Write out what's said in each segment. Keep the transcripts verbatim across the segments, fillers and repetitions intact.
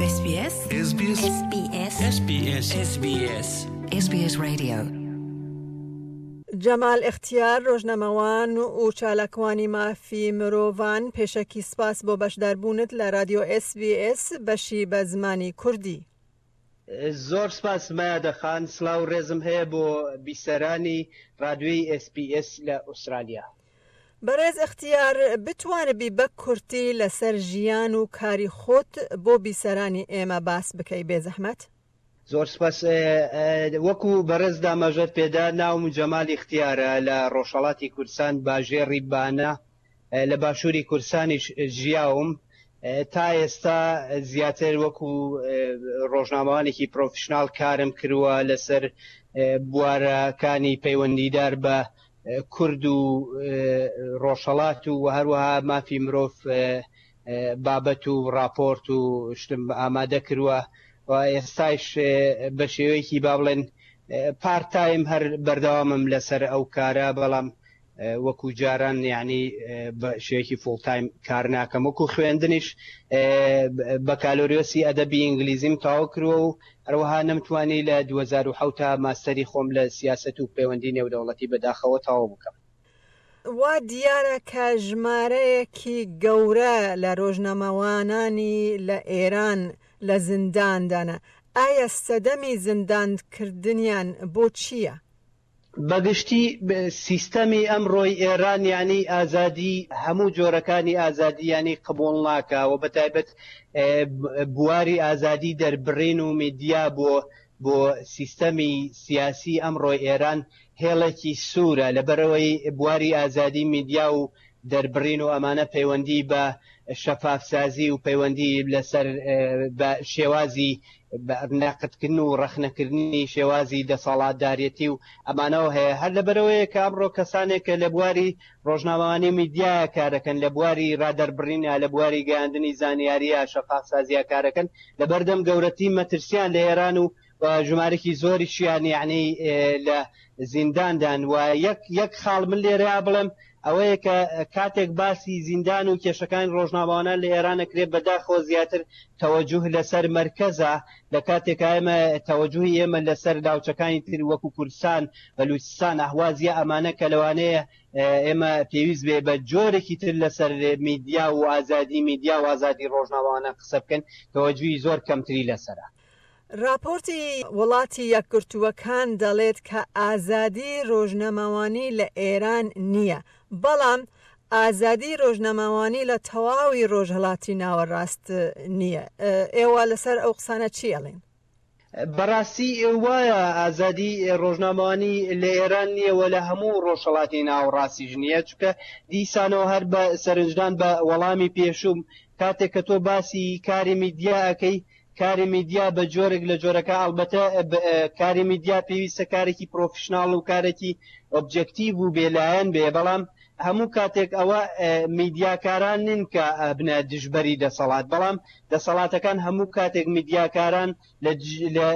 SBS SBS SBS SBS SBS SBS Radio جەمال ئیختیار، ڕۆژنامەوان و چالاکوانی مافی مرۆڤان، پێشەکی سپاس بۆ بەشداربوونت لە رادیۆ ئێس بی ئێس بەشی بە زمانی کوردی. زۆر سپاس مەیادە خان، سڵاو ڕێزم هەیە بۆ بیسەرانی رادیۆی ئێس بی ئێس لە ئوسترالیا. بەڕێز ئیختیار، بتوانبی بە کورتی لەسەر ژیان و کاری خۆت بۆ بیسەرانی ئێمە باس بکەی بێزەحمەت؟ زۆر سپاس. وەکو بەڕێز داماژەت پێدا، ناوم جەمال ئیختیارە، لە ڕۆژهەڵاتی کوردستان باژێڕی بانە، لە باشووری کوردستانیش ژیاوم. تا ئێستا زیاتر وەکو ڕۆژنامەوانێکی پرۆفشناڵ کارم کردووە لەسەر بوارەکانی پەیوەندیدار بە کورد و ڕۆژهەڵات و هەروەها مافی مرۆڤ بابەت و راپۆرت و شتم ئامادە کردووە و ئێستایش بە شێوەیەکی با بڵێن پارت تایم هەر بەردەوامم لەسەر ئەو کارە، بەڵام وەکو جاران یعنی بە شێوەیەکی full time کار ناکەم. وەکو خوێندنیش بەکالۆریۆسی ئەدەبی ئینگلیزیم تەواو کردووە و هەروەها نەمتوانی لە دوو هەزار و حەوت ماستەری خۆم لە سیاسەت و پەیوەندی نێودەوڵەتی بەداخەوە تەواو بکەم. وا دیارە کە ژمارەیەکی گەورە لە ڕۆژنامەوانانی لە ئێران لە زینداندانە. ئایا سەدەمی زیندانکردنیان بۆ چییە؟ بەگشتی سیستەمی ئەمڕۆی ئێران یعنی ئازادی، هەموو جۆرەکانی ئازادی یعنی قبوڵ ناکا و بەتایبەت بواری ئازادی دەربڕین و میدیا بۆ بۆ سیستەمی سیاسی ئەمڕۆی ئێران هێڵێکی سوورە. لەبەرەوەی بواری ئازادی میدیا و دەربڕین و ئەمانە پەیوەندی بە شەفافسازی و پەیوەندی لەسەر بە شێوازی نەقدکردن و ڕەخنەکردنی شێوازی دەسەڵاتدارێتی و ئەمانەوە هەیە. هەر لەبەرەوەیە کە ئەمڕۆ کەسانێک کە لە بواری ڕۆژنامەوانی میدیایە کارەکەن، لە بواری ڕادەربڕینە، لە بواری گەیاندنی زانیاریە شەفافسازیە کارەکەن، لەبەردەم گەورەتی مەترسیان لە ئێران و ژمارەکی زۆریشیان یعنی لە زینداندان. و یەک یەک خاڵ من لێرەیا بڵێم ئەوەیە کە کاتێک باسی زیندان و کێشەکانی ڕۆژنامەوانان لە ئێران ئەکرێت، بەداخەوە زیاتر تەوەجوه لەسەر مرکزە، لە کاتێک ئێمە تەوەجوهی ئێمە لەسەر ناوچەکانی تر وەکو کوردستان، بەلوچستان، ئەهوازیە ئەمانە کە لەوانەیە ئێمە پێویست بێ بە جۆرێکی تر لەسەر میدیا و ئازادی میدیا و ئازادی ڕۆژنامەوانان قسە بکەن، تەوەجوهی زۆر کەمتری لەسەرە. راپۆرتی وڵاتی یەکگرتووەکان دەڵێت کە ئازادی ڕۆژنامەوانی لە ئێران نییە، بەڵام ئازادی ڕۆژنامەوانی لە تەواوی ڕۆژهەڵاتی ناوەڕاست نییە. ئێوە لەسەر ئەو قسانە چی ئەڵێن؟ بەڕاستی وایە ئازادی ڕۆژنامەوانی لە ئێران نییە و لە هەموو ڕۆژهەڵاتی ناوەڕاستیش نییە، چونکە دیسانەوە هەر بە سەرنجدان بە وەڵامی پێشوم کاتێک کە تۆ باسی کاری میدیا ئەەکەی، کاری میدیا بە جۆرێک لە جۆرەکە، ئەلبەتە کاری میدیا پێویستە کارێکی پرۆفشناڵ و کارێکی ئۆبجێکتیڤ و بێلایەن بێ، بەڵام هەموو کاتێک ئەوە میدیاکاران نین کە بنە دژبەری دەسەڵات، بەڵام دەسەڵاتەکان هەموو کاتێک میدیاکاران لە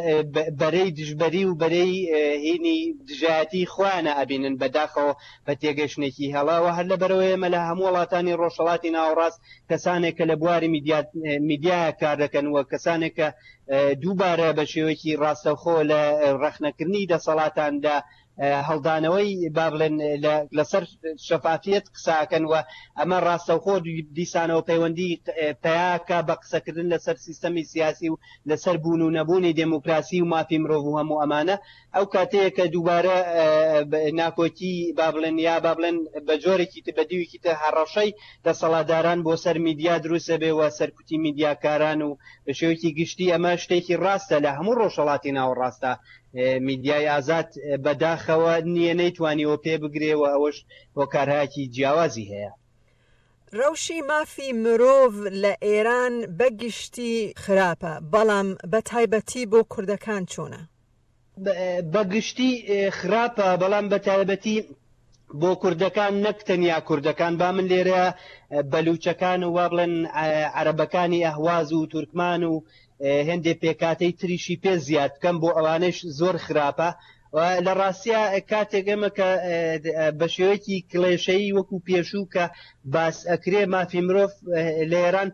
بەرەی دژبەری و بەرەی هینی دژایەتی خۆیانە ئەبینن بەداخەوە بە تێگەشتێکی هەڵاوە. هەر لەبەرەوەی ئێمە لە هەموو وڵاتانی ڕۆژهەڵاتی ناوەڕاست کەسانێک کە لە بواری میدیایە کار دەکەن و کەسانێک کە دووبارە بە شێوەیەکی ڕاستەوخۆ لە ڕەخنەکردنی دەسەڵاتاندا هەڵدانەوەی با بڵێن لەسەر شەفافیەت قساکەن و ئەمە ڕاستەوخۆ دیسانەوە پەیوەندی پیاکە بە قسەکردن لەسەر سیستەمی سیاسی و لەسەر بوون و نەبوونی دێموکراسی و مافی مرۆڤ و هەموو ئەمانە. ئەو کاتەیە کە دووبارە ناکۆکی با بڵێن یا با بڵێن بە جۆرێکی تر بە دیوێکی تر هەڕەشەی دەسەڵاتداران بۆ سەر میدیا دروستە بێ و سەرکوتی میدیاکاران و بە شێوەیەکی گشتی ئەمە شتێکی ڕاستە لە هەموو ڕۆژهەڵاتی ناوەڕاستە. میدیای ئازاد بەداخەوە نییە، نەیتوانیەوە پێ بگرێ و ئەوەش هۆکارهایەکی جیاوازی هەیە. ڕەوشی مافی مرۆڤ لە ئێران بەگشتی خراپە، بەڵام بە تایبەتی بۆ کوردەکان چۆنە؟ بەگشتی خراپە، بەڵام بە تایبەتی بۆ کوردەکان، نەک تەنیا کوردەکان، با من لێرە بەلوچەکان و وا بڵێن عەرەبەکانی ئەهواز و تورکمان و هەندێک پێکاتەی تریشی پێ زیاد بکەم، بۆ ئەوانەش زۆر خراپە. لە ڕاستیە کاتێک ئێمە کە بە شێوەیەکی کلێشەیی وەکو پێشوو کە باس ئەکرێ مافی مرۆڤ لە ئێران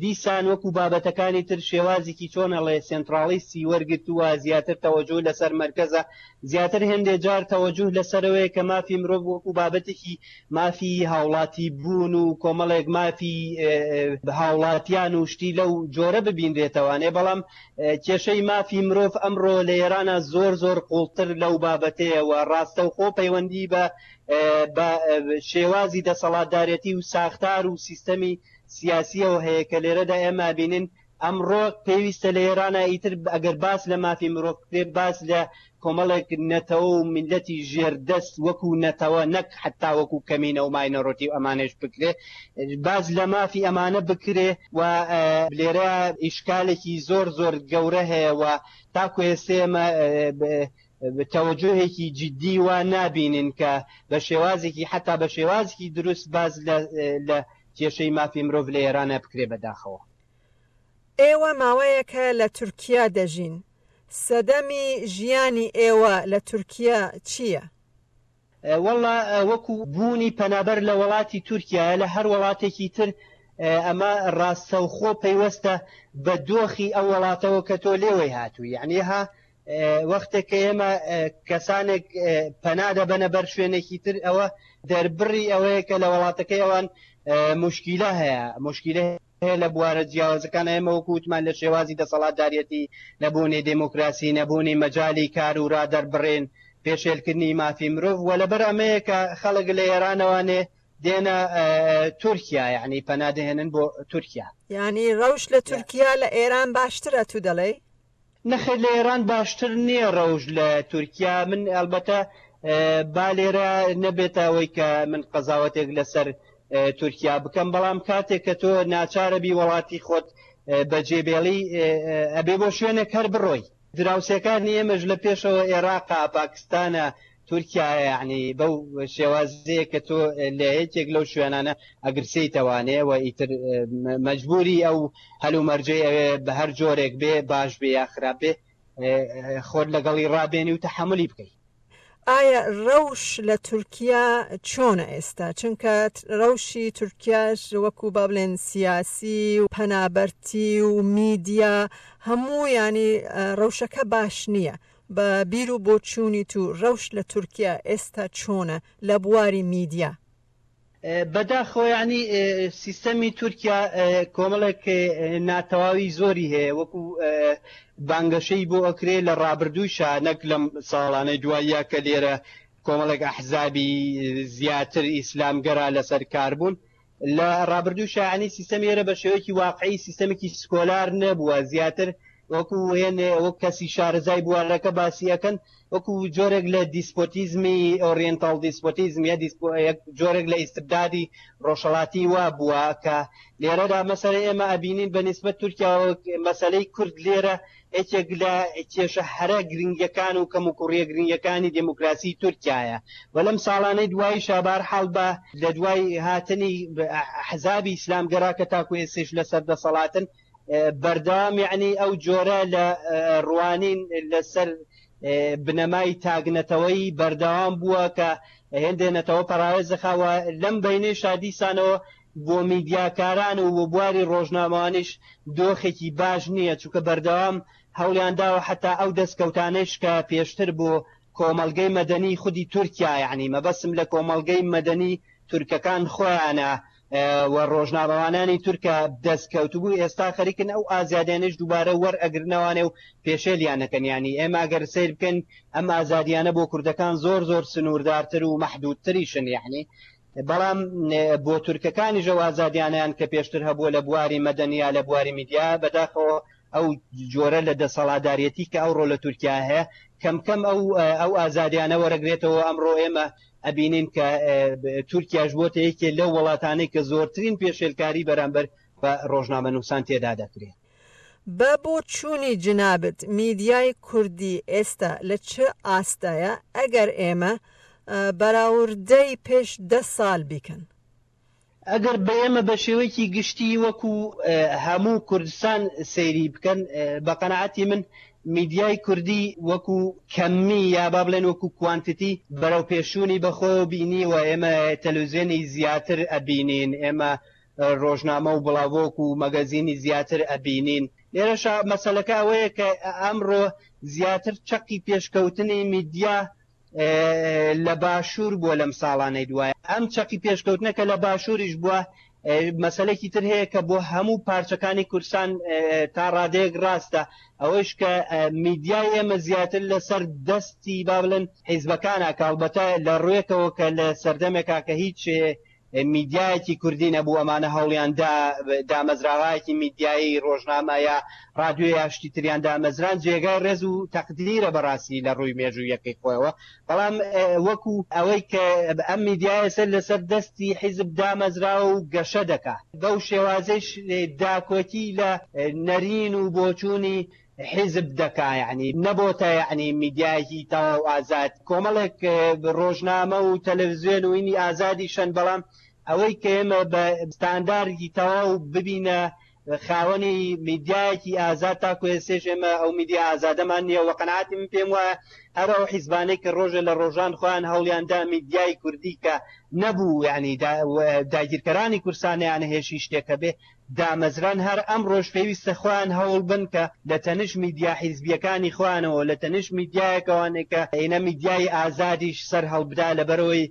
دیسان وەکو بابەتەکانی تر شێوازێکی چۆن ئەڵێ سێنترالیستی وەرگرتووە، زیاتر تەوەجوه لەسەر مەرکەزە، زیاتر هێندێ جار تەوەجوه لەسەرەوەیە کە مافی مرۆڤ وەکو بابەتێکی مافی هاوڵاتی بوون و کۆمەڵێک مافی هاوڵاتیان و شتی لەو جۆرە ببینرێتەوانێ. بەڵام کێشەی مافی مرۆڤ ئەمڕۆ لە ئێرانە زۆر زۆر قوڵتر لەو بابەتەیەوە، ڕاستەوخۆ پەیوەندی بە بە شێوازی دەسەڵاتدارێتی و ساختار و سیستەمی سیاسیەوە هەیە کە لێرەدا ئێمە بینین ئەمڕۆ پێویستە لە ئێرانە ئیتر ئەگەر باس لە مافی مرۆڤ بکرێت، باس لە کۆمەڵێک نەتەوە و میللەتی ژێردەست وەکو نەتەوە نەک حتا وەکو کەمینە و minority و ئەمانەش بکرێ، باس لە مافی ئەمانە بکرێ و لێرە ئیشکالێکی زۆر زۆر گەورە هەیە و تاکو ئێستا ئێمە تەوەجوهێکی جدی وا نابینین کە بە شێوازێکی حتا بە شێوازێکی دروست باس لە کێشەی مافی مرۆڤ لە ئێرانە بکرێ بەداخەوە. ئێوە ماوەیەکە لە تورکیا دەژین، سەدەمی ژیانی ئێوە لە تورکیا چییە؟ وەڵا وەکو بوونی پەنابەر لە وڵاتی تورکیا لە هەر وڵاتێکی تر ئەمە ڕاستەوخۆ پەیوەستە بە دۆخی ئەو وڵاتەوە کە تۆ لێوەی هاتووی. یعنی ها وەختێک کە ئێمە کەسانێک پەنا دەبەنە بەر شوێنێکی تر، ئەوە دەربڕی ئەوەیە کە لە وڵاتەکەی ئەوان مشکیلە هەیە، مشکیلە هەیە لە بوارە جیاوازەکان. ئێمە وەکو وتمان لە شێوازی دەسەڵاتدارەتی، نەبوونی دێموکراسی، نەبوونی مەجالی کار و ڕادەربڕین، پێشێلکردنی مافی مرۆڤ، و لەبەر ئەمەیە کە خەڵک لە ئێرانەوانێ دێنە تورکیا، یعنی پەنا دەهێنن بۆ تورکیا. یعنی ڕەوش لە تورکیا لە ئێران باشترە تو دەڵێی؟ نەخێر لە ئێران باشتر نییە ڕەوش لە تورکیا. من ئەلبەتە با لێرە نەبێتە ئەوەی کە من قەزاوەتێک لەسەر تورکیا بکەم، بەڵام کاتێک کە تۆ ناچارە بی وڵاتی خۆت بەجێبێڵی ئەبێ بۆ شوێنێک هەر بڕۆی. دراوسێکانی ئێمەش لە پێشەوە عێراقا، پاکستانە، تورکیا، یعنی بەو شێوازەیە کە تۆ لە یەکێک لەو شوێنانە ئەگرسیتەوانێ و ئیتر مەجبوری ئەو هەلومەرجەی ئەوێ بە هەر جۆرێک بێ، باش بێ یا خراپ بێ، خۆت لەگەڵی ڕابێنی و تەحەمولی بکەی. ئایا ڕەوش لە تورکیا چۆنە ئێستا؟ چونکە ڕەوشی تورکیاش وەکو با بڵێن سیاسی و پەنابەرتی و میدیا هەموو ینی ڕەوشەکە باش نییە. بە بیر و بۆچوونی تو ڕەوش لە تورکیا ئێستا چۆنە لە بواری میدیا؟ بەداخەوە یعنی سیستەمی تورکیا کۆمەڵێک ناتەواوی زۆری هەیە، وەکو بانگەشەی بۆ ئەکرێ لە ڕابردووشا، نەک لەم ساڵانەی دواییە کە لێرە کۆمەڵێک ئەحزابی زیاتر ئیسلامگەرا لەسەر کار بوون. لە ڕابردووشا یعنی سیستەمی ئێرە بە شێوەیەکی واقعی سیستەمێکی سکۆلار نەبووە، زیاتر وەکو هێنێ وەک کەسی شارەزای بوارەکە باسی ئەکەن وەکو جۆرێک لە دیسپۆتیزمی oriental despotism یا جۆرێک لە ئیستبدادی ڕۆژهەڵاتی وا بووە کە لێرەدا مەسەلەی ئێمە ئەبینین بە نسبەت تورکیاوە مەسەلەی کورد لێرە یەکێک لە کێشە هەرە گرنگەکان و کەموکوڕیە گرنگەکانی دێموکراسی تورکیایە. و لەم ساڵانەی دوایی شابار حاڵ بە لە دوای هاتنی حەزابی ئیسلامگەرا کە تاکو ئێستاش لەسەر دەسەڵاتن بەردەوام یعنی ئەو جۆرە لە ڕوانین لەسەر بنەمای تاگنەتەوەی بەردەوام بووە کە هێندێ نەتەوە پەراوێز دەخاوە. لەم بینەی شادیسانەوە بۆ میدیاکاران و بۆ بواری ڕۆژنامەوانیش دۆخێکی باش نییە، چونکە بەردەوام هەوڵیان داوە حتا ئەو دەستکەوتانەش کە پێشتر بۆ کۆمەڵگەی مەدەنی خودی تورکیا، یعنی مەبەسم لە کۆمەڵگەی مەدەنی تورکەکان خۆیانە و ڕۆژنامەوانانی تورکە دەستکەوتبوو، ئێستا خەریکن ئەو ئازادیانەش دووبارە وەرئەگرنەوانێ و پێشێلیانەکەن. یعنی ئێمە ئەگەر سەیر بکەن ئەم ئازادیانە بۆ کوردەکان زۆر زۆر سنووردارتر و مەحدودتریشن، یعنی بەڵام بۆ تورکەکانیش ئەو ئازادیانیان کە پێشتر هەبووە لە بواری مەدەنیا لە بواری میدیا، بەداخەوە ئەو جۆرە لە دەسەڵاتدارەتی کە ئەوڕۆ لە تورکیا هەیە کەم کەم ئەو ئەو ئازادیانە وەرەگرێتەوە. ئەمڕۆ ئێمە ئەبینین کە تورکیاش بۆتە یەکێ لەو وڵاتانەی کە زۆرترین پێشێلکاری بەرامبەر بە ڕۆژنامەنووسان تێدا دەکرێت. بە بۆچوونی جنابت میدیای کوردی ئێستا لە چ ئاستایە ئەگەر ئێمە بەراوردەی پێش دە ساڵ بیکەن؟ ئەگەر بە ئێمە بە شێوەیەکی گشتی وەکو هەموو کوردستان سەیری بکەن، بە قەناعەتی من میدیای کوردی وەکو کەمی یا با بڵێن وەکو quantity بەرەو پێشوونی بەخۆ بینیوە. ئێمە تەلەڤیزیۆنی زیاتر ئەبینین، ئێمە ڕۆژنامە و بڵاوۆک و مەگەزینی زیاتر ئەبینین. لێرەشا مەسەلەکە ئەوەیە کە ئەمڕۆ زیاتر چەقی پێشکەوتنی میدیا لە باشوور بووە لەم ساڵانەی دوایە. ئەم چەقی پێشکەوتنە کە لە باشووریش بووە، مەسەلەکی تر هەیە کە بۆ هەموو پارچەکانی کوردستان تا ڕادەیەک ڕاستە، ئەوەیش کە میدیای ئێمە زیاتر لەسەر دەستی با بڵێن حیزبەکانە، کە ئەڵبەتە لە ڕوویەکەوە کە لە سەردەمێکا کە هیچ میدیایەکی کوردی نەبوو، ئەمانە هەوڵیان دامەزراوایەکی میدیایی ڕۆژنامە یا ڕادیۆ یا شتی تریان دامەزران، جێگای ڕێز و تەقدیرە بەڕاستی لە ڕووی مێژوویەکەی خۆیەوە. بەڵام وەکو ئەوەی کە ئەم میدیایە سەر لەسەر دەستی حیزب دامەزراوە و گەشە دەکا، بەو شێوازەیش داکۆکی لە نەرین و بۆچوونی حیزب دەکا، یعنی نەبۆتە یعنی میدیایەکی تەواو ئازاد. کۆمەڵێک ڕۆژنامە و تەلەڤیزیۆن و ئینی ئازادی شەن، بەڵام ئەوەی کە ئێمە بە ستانداردی تەواو ببینە خاوەنی میدیایەکی ئازاد تاکو ئێستێش ئێمە ئەو میدیا ئازادەمان نییە. وە قەناعەتی من پێم وایە هەر ئەو حیزبانەی کە ڕۆژە لە ڕۆژان خۆیان هەوڵیان دا میدیای کوردی کە نەبوو، یعنی داگیرکەرانی کوردستانیان هێشی شتێکە بێ دامەزران، هەر ئەم ڕۆژ پێویستە خۆیان هەوڵ بن کە لە تەنش میدیا حیزبیەکانی خۆیانەوە، لە تەنش میدیایەکەوانێک کە ئێنە میدیای ئازادیش سەر هەڵبدا، لەبەرەوەی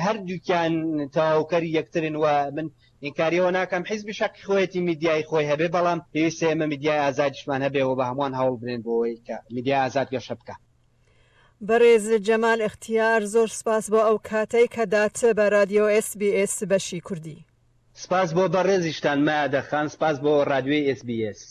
هەردووکیان تەواوکەری یەکترن. و من ئینکاریەوە ناکەم حیزبی شەقی خۆیەتی میدیای خۆی هەبێ، بەڵام پێویستە ئێمە میدیای ئازادیشمان هەبێ و بە هەمووان هەوڵ بدەین بۆ ئەوەی کە میدیای ئازاد گەشە بکە. بەڕێز جەمال ئەختیار، زۆر سپاس بۆ ئەو کاتەی کە دات بە رادیۆ ئێس بی ئێس بەشی کوردی. سپاس بۆ بەڕێزیشتان مادە خان، سپاس بۆ رادیۆی ئێس بی ئێس.